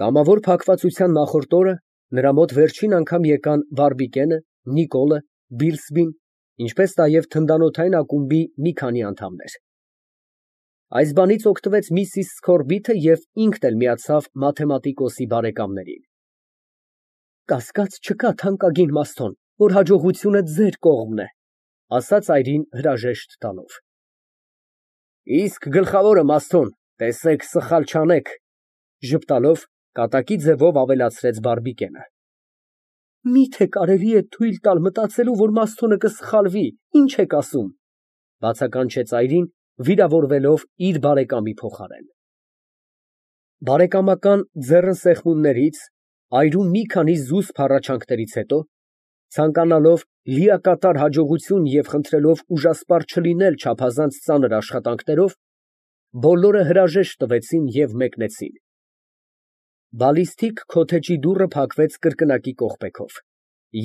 Կամավոր փակվածության նախորդ օրը նրա մոտ վերջին անգամ եկան Բարբիկենը, Նիկոլը, Բիլսբին, ինչպես նաև թնդանոթային ակումբի մի քանի անդամներ։ Այս բանից օգտվեց միսիս Սքորբիթը և ինքն էլ միացավ մաթեմատիկոսի բարեկամներին։ Կասկած չկա, թանկագին Մաստոն, որ հաջողությունը ձեր կողմն է, ասաց այրին հրաժեշտ տալով։ Իսկ գլխավորը, Մաստոն, տեսեք սխալ չանեք, ժպտալով կատակի ձևով ավելացրեց Բարբիկենը։ Միթե կարելի է թույլ տալ մտածելու, որ Մաստոնը կսխալվի, ինչ եք ասում, բացականչեց այրին, վիրավորվելով իր բարեկամի փոխարեն։ Բարեկամական ձեռնսեղմումներից, այրու մի քանի զուսպ հառաչանքներից հետո, ցանկանալով լիակատար հաջողություն և խնդրելով ուժասպառ չլինել չափազանց ծանր աշխատանքներով, բոլորը հրաժեշտ տվեցին և մեկնեցին։ Բալիստիկ քոթեջի դուռը փակվեց կրկնակի կողպեքով,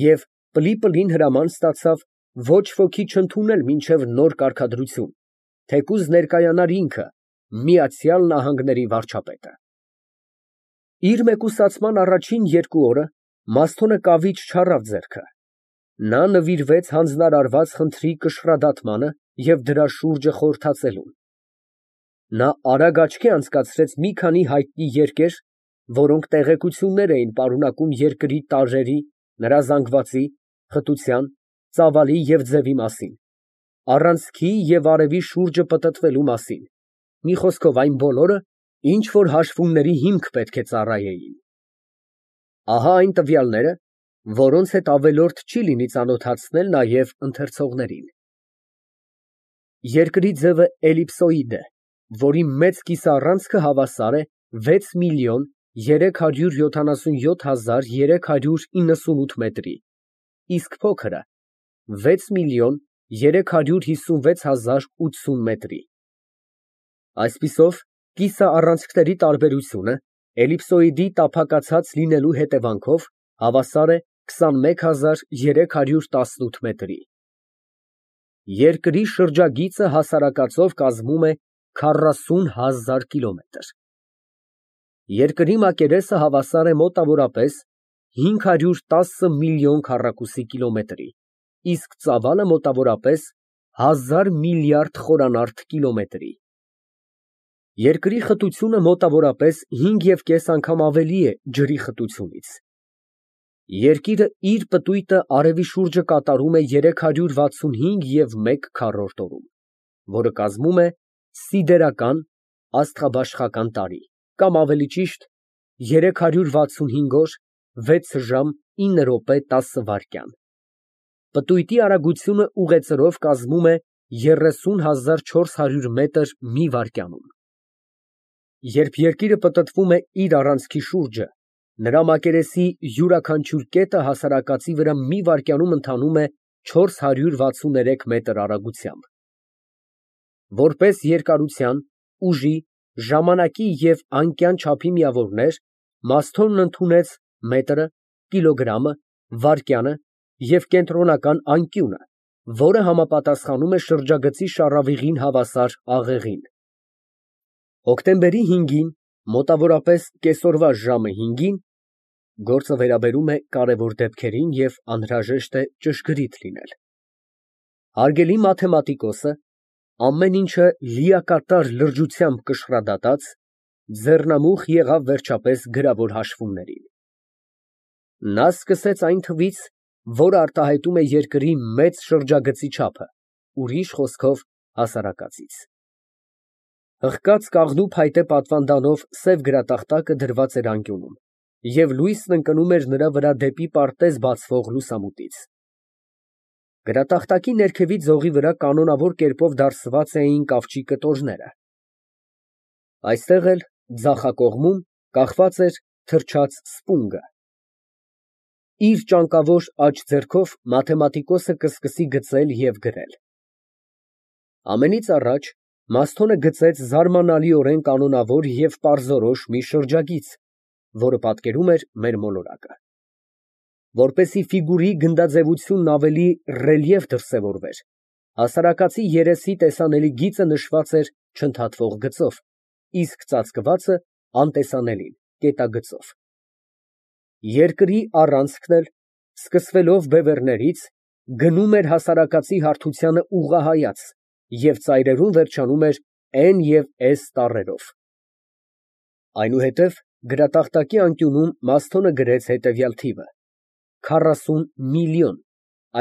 և պլի հրաման ստացավ ոչ ոքի չընդունել մինչև նոր կարգադրություն, թեկուզ ներկայանար ինքը, Միացյալ Նահանգների վարչապետը։ Իր մեկուսացման առաջին 2 օրը Մաստոնը կավիճ չառավ ձեռքը։ Նա նվիրվեց հանձնարարված խնդրի կշռադատմանը և դրա շուրջը խորհրդածելուն։ Նա արագ աչքի անցկացրեց մի քանի հայտնի երկեր, որոնք տեղեկություններ էին պարունակում երկրի տարրերի, նրա զանգվածի, խտության, ծավալի և ձևի մասին, առանցքի և արևի շուրջը պտտվելու մասին, մի խոսքով այն բոլորը, ինչ որ հաշվումների հիմք պետք է ծառայեին։ Ահա այն տվյալները, որոնց հետ ավելորդ չի լինի ծանոթացնել նաև ընթերցողներին։ Երկրի ձևը էլիպսոիդ է, որի մեծ կիսաառանցքը հավասար է 6 միլիոն 377 հազար 398 մետրի, իսկ փոքրը 6 միլիոն 356 հազար 80 մետրի։ Այսպիսով, կիսաառանցքների տարբերությունը էլիպսոիդի տափակացած լինելու հետևանքով հավասար է 21318 մետրի։ Երկրի շրջագիծը հասարակածով կազմում է 40 000 կիլոմետր։ Երկրի մակերեսը հավասար է մոտավորապես 510 միլիոն քառակուսի կիլոմետրի, իսկ ծավալը մոտավորապես 1000 միլիարդ խորանարդ կիլոմետրի։ Երկրի խտությունը մոտավորապես 5,5 անգամ ավելի է ջրի խտությունից։ Երկիրը իր պտույտը արևի շուրջը կատարում է 365,1 քառորդ օրում, որը կազմում է սիդերական (աստղաբաշխական) տարի, կամ ավելի ճիշտ 365 օր, 6 ժամ, 9 րոպե, 10 վայրկյան։ Պտույտի արագությունը ուղեծրով կազմում է 30,400 մետր մի վայրկյանում։ Երբ երկիրը պտտվում է իր առանցքի շուրջը, նրա մակերեսի յուրաքանչյուր կետը հասարակածի վրա մի վայրկյանում ընթանում է 463 մետր արագությամբ։ Որպես երկարության, ուժի, ժամանակի և անկյան չափի միավորներ Մաստոնն ընդունեց մետրը, կիլոգրամը, վայրկյանը և կենտրոնական անկյունը, որը համապատասխանում է շրջագծի շառավիղին հավասար աղեղին։ Հոկտեմբերի 5-ին, մոտավորապես կեսօրվա ժամը 5-ին (գործը վերաբերում է կարևոր դեպքերին և անհրաժեշտ է ճշգրիտ լինել), հարգելի մաթեմատիկոսը, ամեն ինչը լիակատար լրջությամբ կշռադատած, ձեռնամուխ եղավ վերջապես գրավոր հաշվումներին։ Նա սկսեց այն թվից, որը արտահայտում է երկրի մեծ շրջագծի չափը, ուրիշ խոսքով հասարակածից։ Հղկած կաղնու փայտե պատվանդանով սև գրատախտակը դրված էր անկյունում, և լույսն ընկնում էր նրա վրա դեպի պարտեզ բացվող լուսամուտից։ Գրատախտակի ներքևի ձողի վրա կանոնավոր կերպով դարսված էին կավճի կտորները։ Այստեղ էլ, ձախակողմում, կախված էր թրջած սպունգը։ Իր ճանկավոր աջ ձեռքով մաթեմատիկոսը կսկսի գծել և գրել։ Ամենից առաջ Մաստոնը գծեց զարմանալիորեն կանոնավոր և պարզորոշ մի շրջագիծ, որը պատկերում էր մեր մոլորակը։ Որպեսզի ֆիգուրի գնդաձևությունն ավելի ռելիեֆ դրսևորվեր, հասարակածի երեսի տեսանելի գիծը նշված էր չընդհատվող գծով, իսկ ծածկվածը անտեսանելին։ կետագծով։ Երկրի առանցքն էլ, սկսվելով Բևեռներից, գնում էր հասարակածի հարթությանը ուղղահայաց և ծայրերուն վերջանում էր N և S տառերով։ Այնուհետև գրատախտակի անկյունում Մասթոնը գրեց հետևյալ թիվը. 40 միլիոն,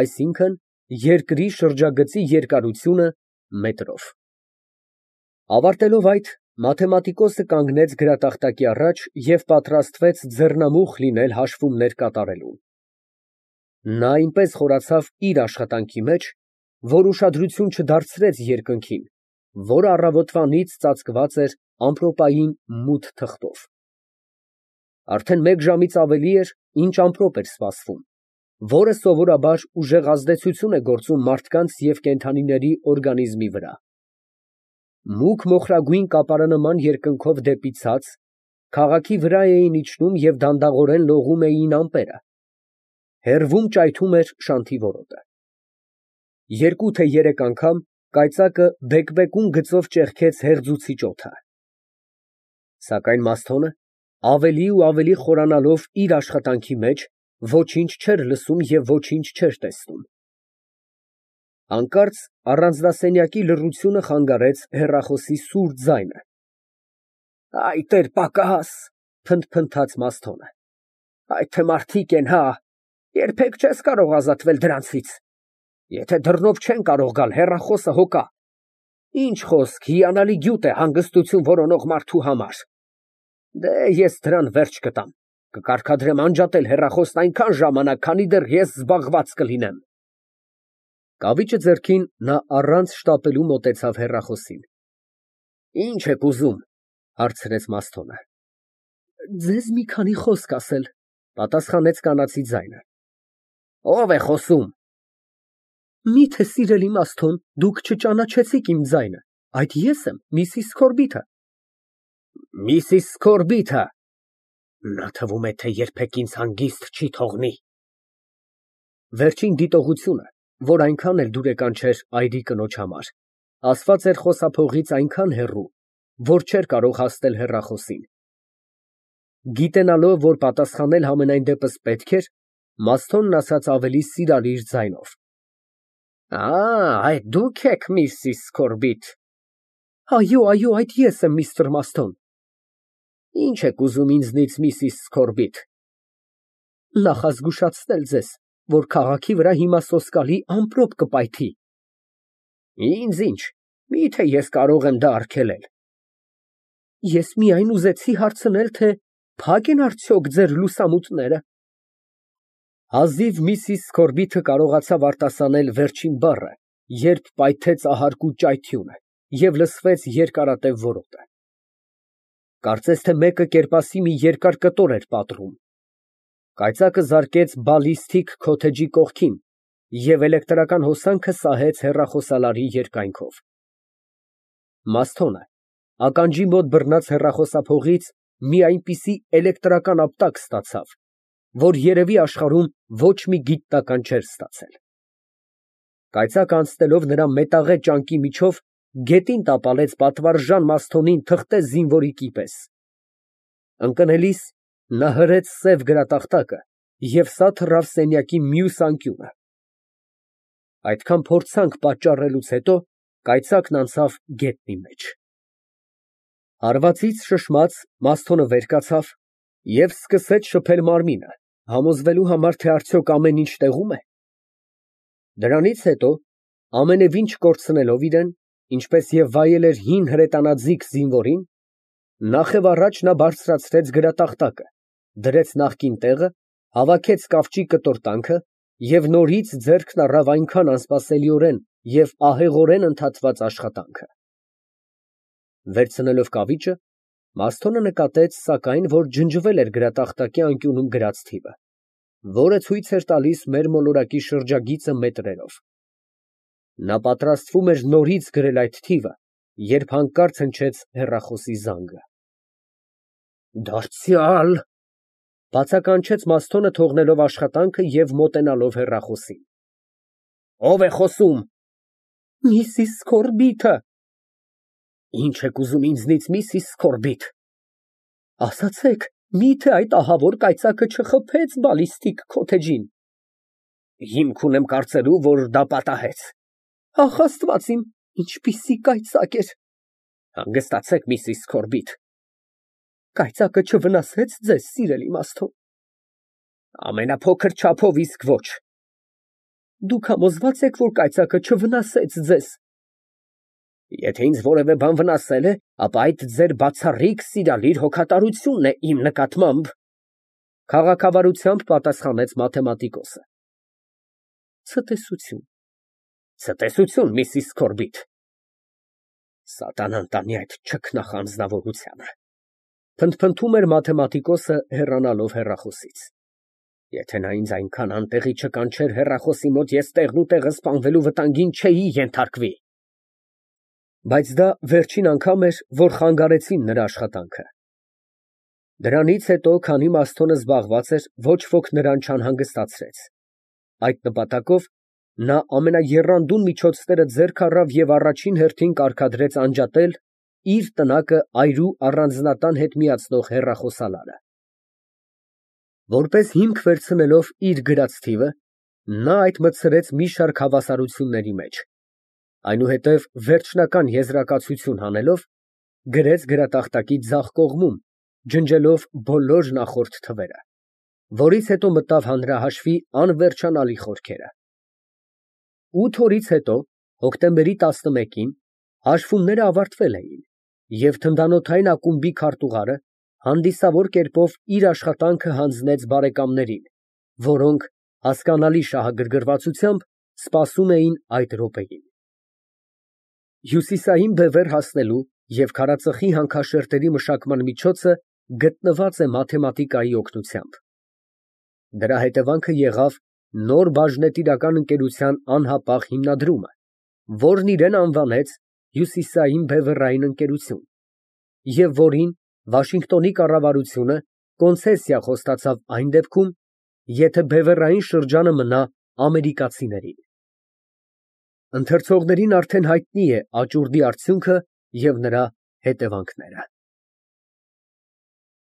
այսինքն երկրի շրջագծի երկարությունը մետրով։ Ավարտելով այդ, մաթեմատիկոսը կանգնեց գրատախտակի առաջ և պատրաստվեց ձեռնամուխ լինել հաշվումներ կատարելուն։ Նա այնպես խորացավ իր աշխատանքի մեջ, որ ուշադրություն չդարձրեց երկնքին, որը առավոտվանից ծածկված էր ամպրոպային մութ թղթով։ Արդեն 1 ժամից ավելի էր, ինչ ամպրոպ էր սպասվում, որը սովորաբար ուժեղ ազդեցություն է գործում մարդկանց և կենդանիների օրգանիզմի վրա։ Մուգ մոխրագույն կապարանման երկնքով դեպի ցած, քաղաքի վրա էին իջնում և դանդաղորեն լողում էին ամպերը, հեռվում ճայթում էր շանթի որոտը։ 2 թե 3 անգամ կայծակը բեկբեկուն գծով ճեղքեց հեղձուցիչ օդը։ Սակայն Մասթոնը, ավելի ու ավելի խորանալով իր աշխատանքի մեջ, ոչինչ չէր լսում և ոչինչ չէր տեսնում։ Հանկարծ առանձնասենյակի լռությունը խանգարեց հեռախոսի սուր ձայնը։ «Այդ էր պակաս», փնթփնթաց Մասթոնը։ «Այդ թե մարդիկ են, հա, երբեք չես կարող ազատվել դրանցից։ Եթե դռնով չեն կարող գալ, հեռախոսը հոգա։ Ինչ խոսք, հիանալի գյուտ է հանգստություն որոնող մարդու համար։ Դե ես դրան վերջ կտամ, կկարգադրեմ անջատել հեռախոսն այնքան ժամանակ, քանի դեռ ես զբաղված կլինեմ»։ Կավիճը ձեռքին նա առանց շտապելու մոտեցավ հեռախոսին։ «Ինչ եք ուզում», հարցրեց Մասթոնը։ «Ձեզ մի քանի խոսք ասել», պատասխանեց կանացի ձայնը։ «Ո՞վ է խոսում»։ «Միթե, սիրելի Մասթոն, դուք չճանաչեցիք իմ ձայնը, այդ ես եմ, Միսիս Սքորբիթը»։ «Միսիս Սքորբիթը, նա թվում է, թե երբեք ինձ հանգիստ չի թողնի»։ Վերջին դիտողությունը, որ այնքան էլ դուրեկան չէր այրի կնոջ համար, ասված էր խոսափողից այնքան հեռու, որ չէր կարող հասնել հեռախոսին։ Գիտենալով, որ պատասխանել համենայն դեպս պետք էր, Մասթոնն ասաց ավելի սիրալիր ձայնով. Այդ դուք եք, Միսիս Սքորբիթ։ Այո, այդ ես եմ, միստր Մասթոն։ Ինչ եք ուզում ինձնից, Միսիս Սքորբիթ։ Նախազգուշացնել ձեզ, որ քաղաքի վրա հիմա սոսկալի ամպրոպ կպայթի։ Ինձ ինչ, միթե ես կարող եմ դա արգելել։ Ես միայն ուզեցի հարցնել, թե փակ են արդյոք ձեր լուսամուտները։ Հազիվ Միսիս Սքորբիթը կարողացավ արտասանել վերջին բառը, երբ պայթեց ահարկու ճայթյունը և լսվեց երկարատև որոտը։ Կարծես թե մեկը կերպասի մի երկար կտոր էր պատռում։ Կայծակը զարկեց բալիստիկ քոթեջի կողքին և էլեկտրական հոսանքը սահեց հեռախոսալարի երկայնքով։ Մասթոնը ականջի մոտ բռնած հեռախոսափողից մի այնպիսի էլեկտրական ապտակ ստացավ, որ երևի աշխարհում ոչ մի գիտնական չէր ստացել։ Կայծակը անցնելով նրա մետաղե ճանկի միջով գետին տապալեց պատվարժան Մասթոնին թղթե զինվորի պես։ Ընկնելիս նա հրեց սև գրատախտակը և սա թռավ սենյակի մյուս անկյունը։ Այդքան փորձանք պատճառելուց հետո կայծակն անցավ գետնի մեջ։ Հարվածից շշմած Մասթոնը վեր կացավ և սկսեց շփել մարմինը, համոզվելու համար, թե արդյոք ամեն ինչ տեղո՞ւմ է։ Դրանից հետո, ամենևին չկորցնելով իրեն, ինչպես և վայել էր հին հրետանաձիգ զինվորին, նախև նա բարձրացրեց գրատախտակը, դրեց նախկին տեղը, հավաքեց կավճի կտորտանքը և նորից ձեռքն առավ այնքան անսպասելիորեն և ահեղորեն ընդհատված աշխատանքը։ Վերցնելով կավիճը, Մասթոնը նկատեց, սակայն, որ ջնջվել էր գրատախտակի անկյունում գրած թիվը, որը ցույց էր տալիս մեր մոլորակի շրջագիծը մետրերով։ Նա պատրաստվում էր նորից գրել այդ թիվը, երբ հանկարծ հնչեց հեռախոսի զանգը։ Դարձյալ, բացականչեց Մասթոնը, թողնելով աշխատանքը և մոտենալով հեռախոսին։ Ո՞վ է խոսում։ Միսիս Սքորբիթը։ Ինչ եք ուզում ինձնից, Միսիս Սքորբիթ։ Ասացեք, Միթե այդ ահավոր կայծակը չխփեց բալիստիկ քոթեջին։ Հիմք ունեմ կարծելու, որ դա պատահեց։ Ախ, Աստված իմ, ինչպիսի կայծակ էր։ Հանգստացեք, Միսիս Քորբիթ։ Կայծակը չվնասեց ձեզ, սիրելի Մաստո։ Ամենափոքր չափով իսկ ոչ։ Դուք համոզված եք, որ կայծակը չվնասեց ձեզ։ Եթե ինձ որևէ բան վնասել է, ապա այդ ձեր բացառիկ սիրալիր հոգատարությունն է իմ նկատմամբ, քաղաքավարությամբ պատասխանեց մաթեմատիկոսը։ Ցտեսություն։ Ցտեսություն, Միսիս Քորբիթ։ Սատանան տանի այդ չքնախ անձնավորությանը, փնթփնթում էր մաթեմատիկոսը հեռանալով հեռախոսից։ Եթե նա ինձ այնքան անտեղի չկանչեր հեռախոսի մոտ, ես տեղնուտեղը սպանվելու վտանգին չէի ենթարկվի։ Բայց դա վերջին անգամ էր, որ խանգարեցին նրա աշխատանքը։ Դրանից հետո, քանի Մաստոնը զբաղված էր, ոչ ոք նրան չանհանգստացրեց։ Այդ նպատակով նա ամենաեռանդուն միջոցները ձեռք առավ և առաջին հերթին կարգադրեց անջատել իր տնակը այրու առանձնատան հետ միացնող հեռախոսալարը։ Որպես հիմք վերցնելով իր գրած թիվը, նա այդ մտցրեց մի շարք հավասարությունների մեջ։ Այնուհետև վերջնական եզրակացություն հանելով, գրեց գրատախտակի ձախ կողմում, ջնջելով բոլոր նախորդ թվերը, որից հետո մտավ հանրահաշվի անվերջանալի խորքերը։ 8 օրից հետո, հոկտեմբերի 11-ին, հաշվումները ավարտվել էին, և թնդանոթային ակումբի քարտուղարը հանդիսավոր կերպով իր աշխատանքը հանձնեց բարեկամներին, որոնք հասկանալի շահագրգռվածությամբ սպասում էին այդ րոպեին։ Հյուսիսային բևեռ հասնելու և քարածխի հանքաշերտերի մշակման միջոցը գտնված է մաթեմատիկայի օգնությամբ։ Դրա հետևանքը եղավ նոր բաժնետիրական ընկերության անհապաղ հիմնադրումը, որն իրեն անվանեց Հյուսիսային բևեռային ընկերություն, և որին Վաշինգտոնի կառավարությունը կոնցեսիա խոստացավ այն դեպքում, եթե բևեռային շրջանը մնա ամերիկացիներին։ Ընթերցողներին արդեն հայտնի է աճուրդի արդյունքը և նրա հետևանքները։